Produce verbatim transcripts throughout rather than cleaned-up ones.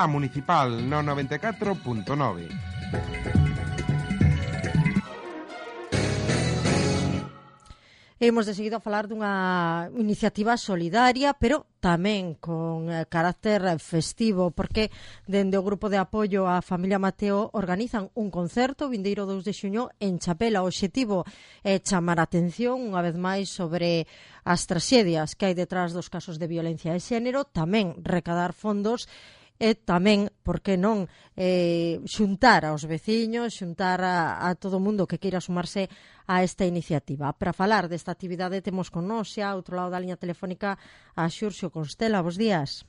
a Municipal no noventa e catro punto nove. Imos de seguido a falar dunha iniciativa solidaria, pero tamén con carácter festivo, porque dende o Grupo de Apoio á Familia Mateo organizan un concerto vindeiro dous de xuño en Chapela. O obxectivo é chamar a atención unha vez máis sobre as traxedias que hai detrás dos casos de violencia de xénero, tamén recadar fondos e tamén, por que non, eh, xuntar aos veciños, xuntar a, a todo o mundo que queira sumarse a esta iniciativa. Para falar desta actividade temos con nós xa, outro lado da liña telefónica, a Xurxo Constela. Bos días.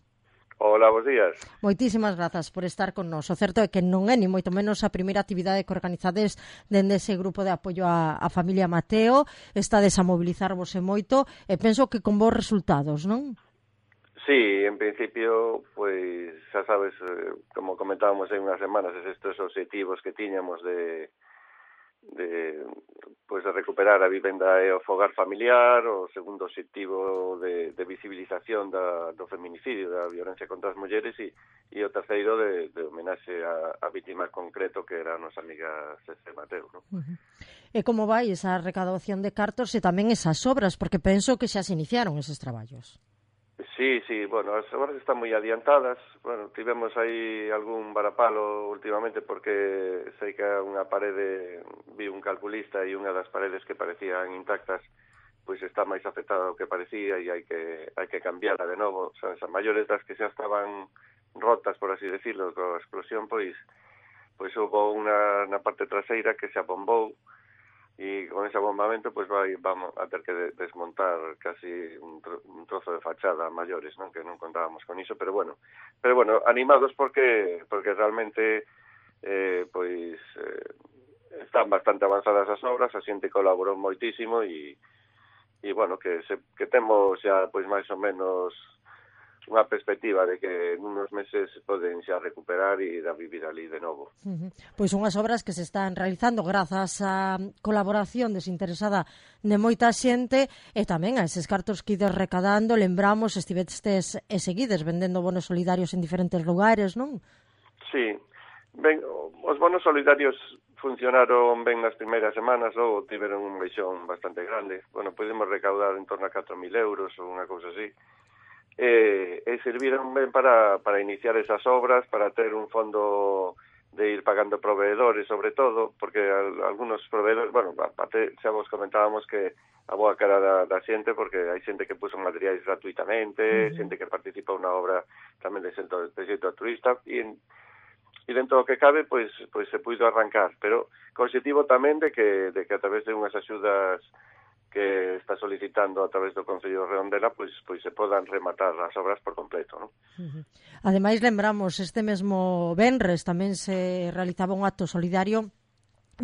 Hola, bos días. Moitísimas grazas por estar con nós. O certo é que non é ni moito menos a primeira actividade que organizades dende ese grupo de apoio á, á familia Mateo. Estades a mobilizarvos e moito e penso que con bons resultados, non? Sí, en principio, pois, xa sabes, como comentábamos hai unhas semanas, estes obxectivos que tiñamos de, de, pois, de recuperar a vivenda e o fogar familiar, o segundo obxectivo de, de visibilización da, do feminicidio, da violencia contra as mulleres, e, e o terceiro de, de homenaxe a, a víctima concreto, que era a nosa amiga Cece Mateo, non? Uh-huh. E como vai esa recaudación de cartos e tamén esas obras, porque penso que xa se iniciaron eses traballos. Sí, sí, bueno, as obras están moi adiantadas. Bueno, tivemos aí algún varapalo últimamente porque sei que unha parede, vi un calculista e unha das paredes que parecían intactas, pois está máis afectada do que parecía e hai que hai que cambiarla de novo. O sea, as maiores das que xa estaban rotas, por así decirlo, coa explosión, pois pois houve unha na parte traseira que se abombou, e con ese abombamento pues vai, vamos a ter que de, desmontar casi un, tro, un trozo de fachada maiores, non, que non contábamos con iso, pero bueno, pero bueno, animados porque porque realmente eh, pois eh, están bastante avanzadas as obras, a xente colaborou moitísimo e e bueno, que se, que temos xa pois máis ou menos unha perspectiva de que en unos meses poden xa recuperar e ir a vivir ali de novo. Uh-huh. Pois unhas obras que se están realizando grazas á colaboración desinteresada de moita xente e tamén a eses cartos que ides recadando. Lembramos, estivestes e seguides vendendo bonos solidarios en diferentes lugares, non? Sí, ben, os bonos solidarios funcionaron ben nas primeiras semanas, ou tiveron un baixón bastante grande. Bueno, podemos recaudar en torno a catro mil euros ou unha cousa así. E, e serviron ben para, para iniciar esas obras, para ter un fondo de ir pagando proveedores, sobre todo, porque algunos proveedores, bueno, aparte xa vos comentábamos que a boa cara da, da xente, porque hai xente que puso materiais gratuitamente, uh-huh. xente que participa unha obra tamén de xeito, de xeito turista, e, e dentro do que cabe, pois, pois se puido arrancar, pero co objetivo tamén de que, de que a través de unhas axudas que está solicitando a través do Concello de Redondela, pois pois se podan rematar as obras por completo, non? Uh-huh. Ademais, lembramos, este mesmo venres tamén se realizaba un acto solidario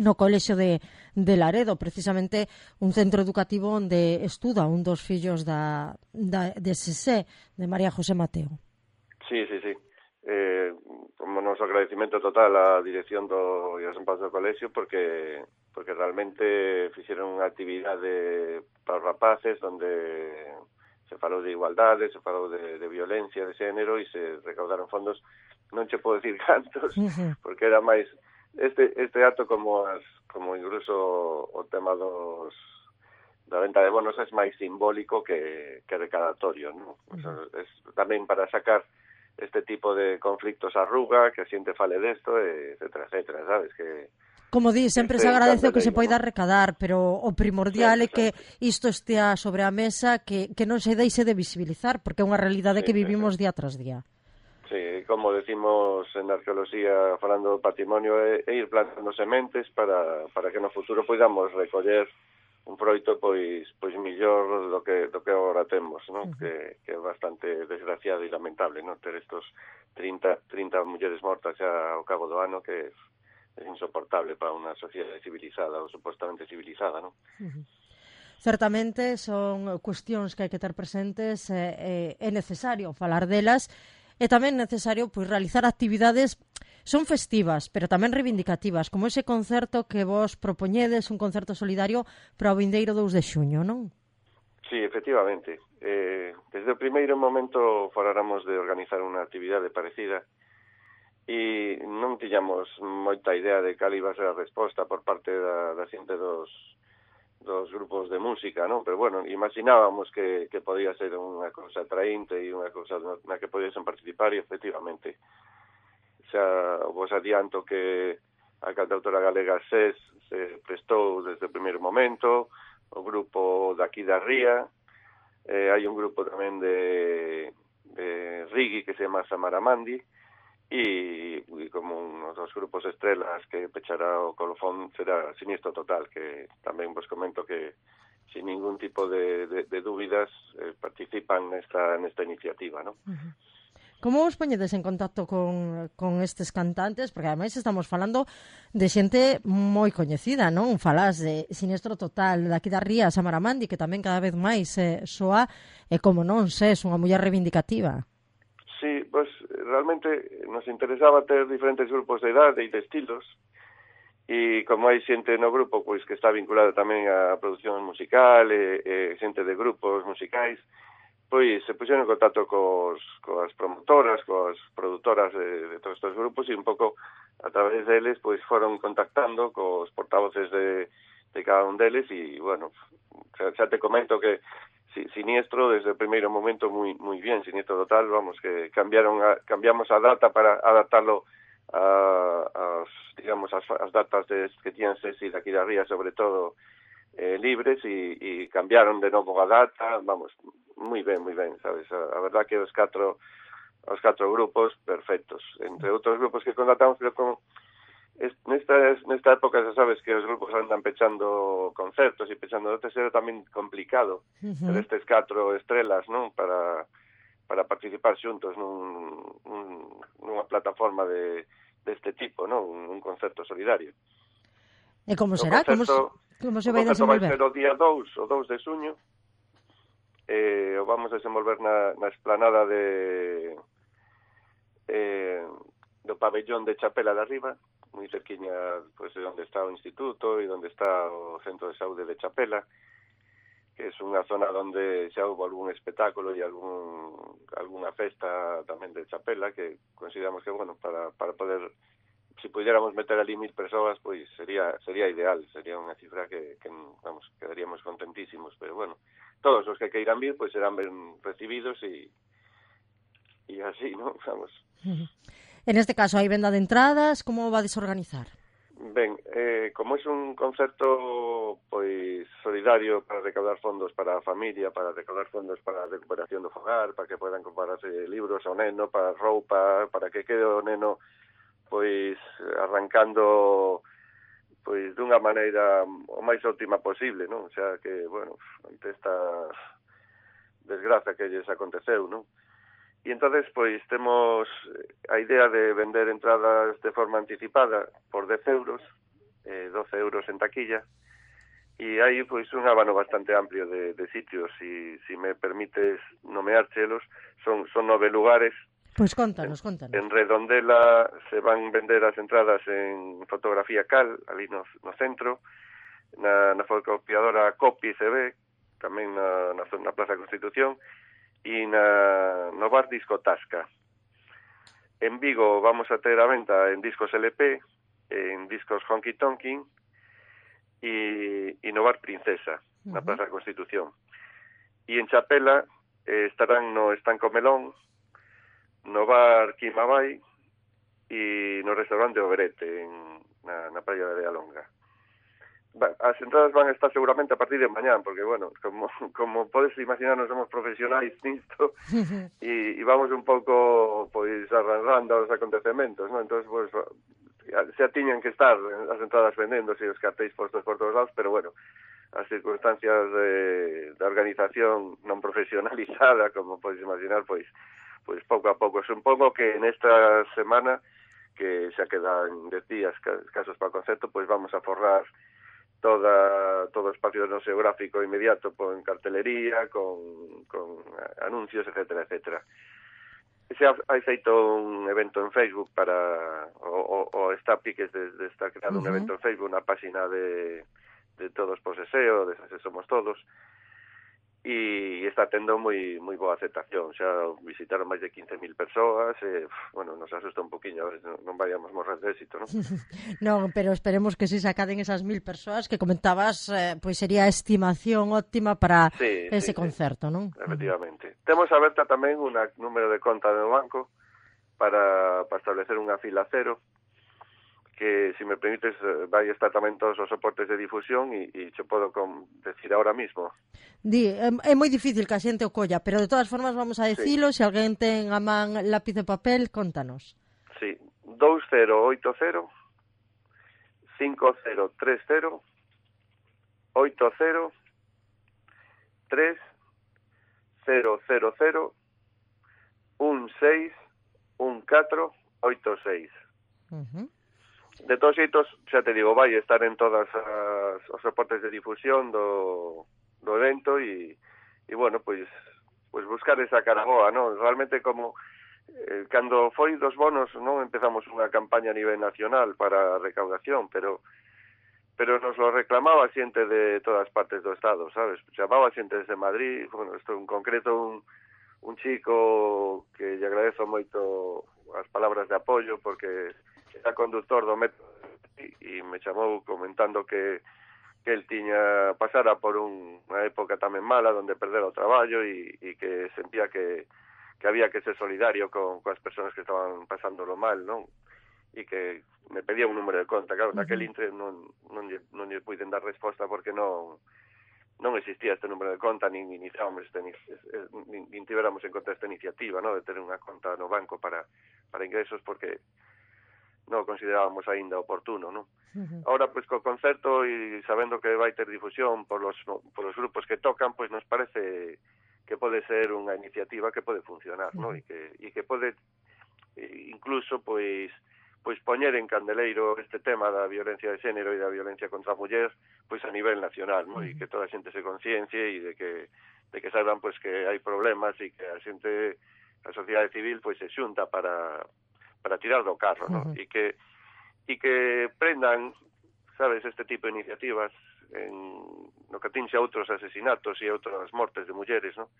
no Colexio de, de Laredo, precisamente un centro educativo onde estuda un dos fillos da, da, de Sesé, de María José Mateo. Sí, sí, sí. Eh, como noso agradecimento total á dirección do e aos empazos do colexio, porque porque realmente fixeron unha actividade para os rapaces onde se falou de igualdade, se falou de, de violencia de xénero e se recaudaron fondos, non che podo decir cantos, uh-huh. porque era máis este este acto como as como incluso o tema dos da venta de bonos é máis simbólico que, que recadatorio, non? Uh-huh. O sea, es tamén para sacar este tipo de conflictos á ruga, que a xente fale desto, etcétera, etcétera, sabes, que como di, sempre se agradece o que se poida recadar, pero o primordial sí, é que isto estea sobre a mesa, que, que non se deixe de visibilizar, porque é unha realidade sí, que vivimos sí. día tras día. Sí, como decimos en arqueoloxía, falando do patrimonio, é, é ir plantando sementes para, para que no futuro poidamos recoller un froito pois pois millor do que do que agora temos, non? Uh-huh. Que, que é bastante desgraciado e lamentable, non? Ter estos trinta, trinta mulleres mortas xa ao cabo do ano, que é insoportable para unha sociedade civilizada ou supostamente civilizada, non? Uh-huh. Certamente son cuestións que hai que ter presentes, e é necesario falar delas, e tamén necesario pois realizar actividades son festivas, pero tamén reivindicativas, como ese concerto que vos propoñedes, un concerto solidario para o vindeiro dous de xuño, non? Sí, efectivamente. Eh, desde o primeiro momento faláramos de organizar unha actividade parecida, e non tiñamos moita idea de cal iba a ser a resposta por parte da, da xente dos, dos grupos de música, non? Pero, bueno, imaginábamos que, que podía ser unha cousa atraínte e unha cousa na que podían participar e, efectivamente, xa vos adianto que a cantautora galega SES se prestou desde o primeiro momento, o grupo daqui da Ría, eh, hai un grupo tamén de, de reggae que se chama Samaramandi, e, e como uns dos grupos estrelas que pechará o colofón será Sinistro Total, que tamén vos comento que sin ningún tipo de, de, de dúbidas eh, participan nesta, nesta iniciativa, non? Uh-huh. Como vos poñedes en contacto con, con estes cantantes? Porque ademais estamos falando de xente moi coñecida, non? Falás de Sinistro Total, daqui da Ría, Samaramandi, que tamén cada vez máis eh, soa, e como non, SES, unha muller reivindicativa. Sí, pues realmente nos interesaba ter diferentes grupos de idade e de estilos, e como hai xente no grupo pois que está vinculada tamén á produción musical e, e xente de grupos musicais, pois se puxeron en contacto cos, coas promotoras, coas produtoras de, de todos estes grupos, e un pouco a través deles pois foron contactando cos portavoces de, de cada un deles, e bueno, xa, xa te comento que si, Siniestro desde o primeiro momento moi moi bien, Siniestro Total, vamos, que cambiaron a, cambiamos a data para adaptarlo a, as, digamos, as, as datas de, que tiñan Sesi daqui da Ría, sobre todo, eh, libres, e, e cambiaron de novo a data, vamos, moi ben, moi ben, sabes, a, a verdad que os catro os catro grupos perfectos, entre outros grupos que contratamos, pero como nesta, nesta época xa sabes que os grupos andan pechando concertos e pechando outros, era tamén complicado uh-huh. ter estes catro estrelas, non, para para participar xuntos nun, un, nunha plataforma de deste tipo, non, un, un concerto solidario. E como será? Como, como se vai O desenvolver? vai ser o día dous, o dous de suño, eh, o vamos a desenvolver na, na esplanada de eh, do pabellón de Chapela de Arriba, moi cerquiña, pois, de onde está o instituto e onde está o centro de saúde de Chapela, que é unha zona onde xa houve algún espectáculo e algún algunha festa tamén de Chapela, que consideramos que, bueno, para, para poder, si pudiéramos meter ali mil persoas, pois sería sería ideal, sería unha cifra que, que vamos, quedaríamos contentísimos, pero bueno, todos os que queiran vir, pois serán ben recibidos e e así, ¿no? Vamos. En este caso, hai venda de entradas, como va a desorganizar? Ben, eh, como é un concerto pois solidario para recaudar fondos para a familia, para recaudar fondos para a recuperación do fogar, para que podan comprarse libros ao neno, para roupa, para que quede o neno pois arrancando pois dunha maneira o máis óptima posible, non? O sea que, bueno, ante esta desgraza que lles aconteceu, non? E entonces, pois, temos a idea de vender entradas de forma anticipada por dez euros, eh, doce euros en taquilla, e hai, pois, un abano bastante amplio de, de sitios, e si me permites nomeárchelos, son, son nove lugares. Pois contanos, contanos. En Redondela se van vender as entradas en fotografía cal, ali no, no centro, na, na fotocopiadora Copi se ve, tamén na, na, na Plaza Constitución, e na, no bar Disco Tasca. En Vigo vamos a ter a venta en discos L P, en discos Honky Tonkin e, e no bar Princesa, uh-huh. na Plaza Constitución. E en Chapela eh, estarán no Estanco Melón, no bar Quimabay e no restaurante Oberete, en, na, na praia de Alonga. As entradas van a estar seguramente a partir de mañán, porque, bueno, como, como podes imaginar, non somos profesionais nisto e, e vamos un pouco, pois, arranjando os acontecementos, non? Entón, pois, xa tiñan que estar as entradas vendéndose e os cartéis postos por todos lados, pero, bueno, as circunstancias de, de organización non profesionalizada, como podes imaginar, pois, pois pouco a pouco. Supongo que nesta semana, que xa quedan dez días casos para o concerto, pois vamos a forrar toda todo o espacio no geográfico inmediato con cartelería, con, con anuncios, etcétera, etcétera. Se ha, hai feito un evento en Facebook para o, o, o está piques de, de estar creado uh-huh. un evento en Facebook, unha página de, de Todos por Seseo, de Se Somos Todos, e está tendo moi moi boa aceptación. Xa visitaron máis de quince mil persoas e, bueno, nos asusta un poquinho, a ver, non, non vayamos morrer de éxito, non? Non, pero esperemos que si sacaden esas mil persoas que comentabas, eh, pois sería a estimación óptima para sí, ese sí, concerto, sí. non? Efectivamente. Uh-huh. Temos aberta tamén un número de conta do banco para, para establecer unha fila cero, que, se me permites, vai estar tamén todos os soportes de difusión e, e che podo com, decir ahora mismo. Di, é, é moi difícil que a xente o colla, pero de todas formas vamos a decilo, sí. Se alguén ten a man lápiz e papel, contanos. Sí, dous cero oito cero cinco cero tres cero oito cero tres cero cero cero un seis un catro oito seis. Uh-huh. De todos xeitos, xa te digo, vai estar en todas as, os soportes de difusión do, do evento e, e bueno, pois, pois buscar esa cara boa, non? Realmente como eh, cando foi dos bonos, non empezamos unha campaña a nivel nacional para a recaudación, pero pero nos lo reclamaba xente de todas partes do estado, sabes? Chamaba xente desde Madrid, bueno, isto en concreto un, un chico que lle agradezo moito as palabras de apoio porque era conductor do metro e me chamou comentando que, que el tiña pasara por un, unha época tamén mala donde perdera o traballo e, e que sentía que, que había que ser solidario con, con as persoas que estaban pasándolo mal, non? E que me pedía un número de conta. Claro, uh-huh. Naquel intre non, non, lle, non lle puiden dar resposta porque non non existía este número de conta, nin iniciábamos este, nin, nin tiveramos en conta esta iniciativa, no, de ter unha conta no banco para, para ingresos, porque non considerábamos aínda oportuno, non? Uh-huh. Ahora, pois, co concerto e sabendo que vai ter difusión por los, por los grupos que tocan, pois nos parece que pode ser unha iniciativa que pode funcionar, uh-huh. non? E que, e que pode incluso, pois, pois poñer en candeleiro este tema da violencia de xénero e da violencia contra a muller, pois a nivel nacional, non? Uh-huh. E que toda a xente se conciencie e de que, de que saiban, pois, que hai problemas e que a xente, a sociedade civil, pois, se xunta para para tirar do carro, ¿no? Uh-huh. E que e que prendan, sabes, este tipo de iniciativas en no que atinxe a outros asesinatos e a outras mortes de mulleres, ¿no?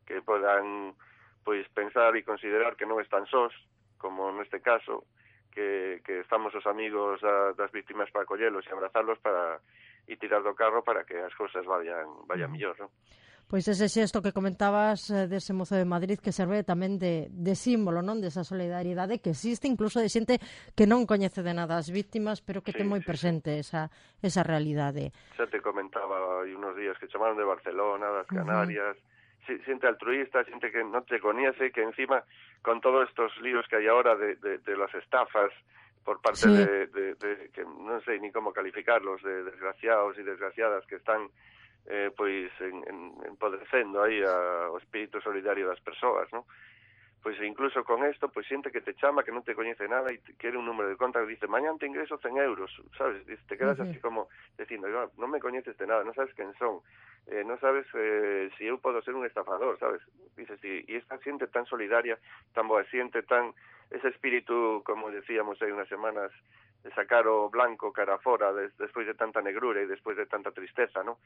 Que podan, pois, pensar e considerar que non están sós, como neste caso, que, que estamos os amigos a, das víctimas para acollelos e abrazalos para e tirar do carro para que as cousas vayan vayan uh-huh. mellor, ¿no? Pois ese xesto que comentabas eh, dese mozo de Madrid que serve tamén de, de símbolo, non? Desa solidariedade que existe incluso de xente que non coñece de nada as víctimas, pero que sí, ten moi sí, presente sí. esa esa realidade. Xa te comentaba hai unos días que chamaron de Barcelona, das Canarias, uh-huh. xente altruista, xente que non te coñece, que encima con todos estos líos que hai ahora de, de, de las estafas por parte sí. de, de, de, que non sei ni como calificarlos, de desgraciados e desgraciadas que están eh, pois en, en, empodrecendo aí a, o espírito solidario das persoas, non? Pois incluso con isto, pois xente que te chama, que non te coñece nada e te quere un número de conta que dice, mañan te ingreso cen euros, sabes? Dice, te quedas uh-huh. así como dicindo, non me coñeces de nada, non sabes quen son, eh, non sabes eh, si eu podo ser un estafador, sabes? Dices, e, e esta xente tan solidaria, tan boa xente, tan ese espírito, como decíamos hai unas semanas, de sacar o blanco cara fora des, despois de tanta negrura e despois de tanta tristeza, non?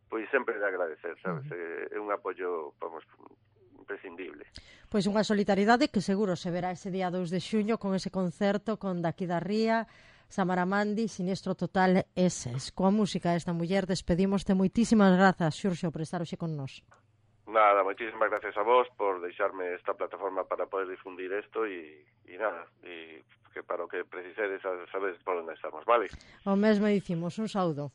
Pois sempre de agradecer, sabes? Uh-huh. É un apoio, vamos, imprescindible. Pois unha solidaridade que seguro se verá ese día dous de xuño con ese concerto con Daqui da Ría, Samaramandi, Sinistro Total eses. Coa música desta muller despedimoste. Moitísimas grazas, Xurxo, por estar hoxe con nós. Nada, moitísimas gracias a vos por deixarme esta plataforma para poder difundir isto e, e nada, e que para o que precisedes sabedes por onde estamos, vale? O mesmo dicimos, un saúdo.